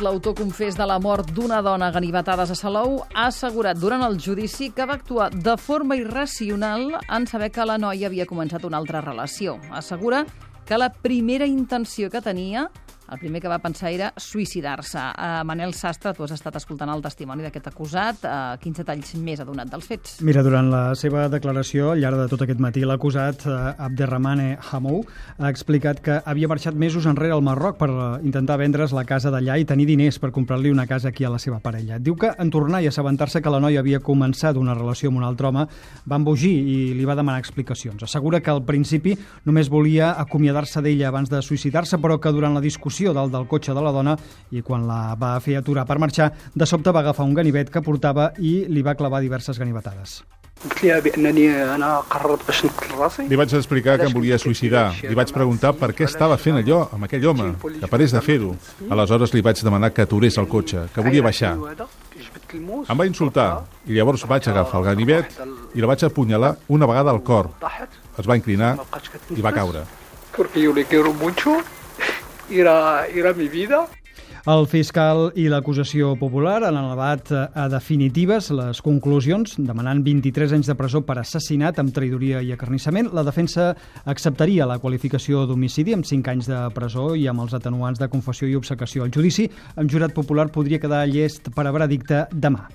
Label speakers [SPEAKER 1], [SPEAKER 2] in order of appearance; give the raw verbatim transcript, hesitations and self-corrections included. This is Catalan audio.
[SPEAKER 1] L'autor confés de la mort d'una dona a ganivetades a Salou ha assegurat durant el judici que va actuar de forma irracional en saber que la noia havia començat una altra relació. Assegura que la primera intenció que tenia, el primer que va pensar era suïcidar-se. Uh, Manel Sastre, tu has estat escoltant el testimoni d'aquest acusat. Uh, quins detalls més ha donat dels fets?
[SPEAKER 2] Mira, durant la seva declaració, al llarg de tot aquest matí, l'acusat, uh, Abderrahmane Hamou, ha explicat que havia marxat mesos enrere al Marroc per uh, intentar vendre's la casa d'allà i tenir diners per comprar-li una casa aquí a la seva parella. Diu que en tornar i assabentar-se que la noia havia començat una relació amb un altre home, va embogir i li va demanar explicacions. Assegura que al principi només volia acomiadar-se d'ella abans de suïcidar-se, però que durant la discussió dalt del cotxe de la dona i quan la va fer aturar per marxar, de sobte va agafar un ganivet que portava i li va clavar diverses ganivetades.
[SPEAKER 3] Li vaig explicar que em volia suïcidar. Li vaig preguntar per què estava fent allò amb aquell home, que parés de fer-ho. Aleshores li vaig demanar que aturés el cotxe, que volia baixar. Em va insultar i llavors vaig agafar el ganivet i la vaig apunyalar una vegada al cor. Es va inclinar i va caure.
[SPEAKER 4] Era, era mi vida.
[SPEAKER 2] El fiscal i l'acusació popular han elevat a definitives les conclusions, demanant vint-i-tres anys de presó per assassinat amb traïdoria i acarnissament. La defensa acceptaria la qualificació d'homicidi amb cinc anys de presó i amb els atenuants de confessió i obcecació. El judici amb jurat popular podria quedar llest per a veredicte demà.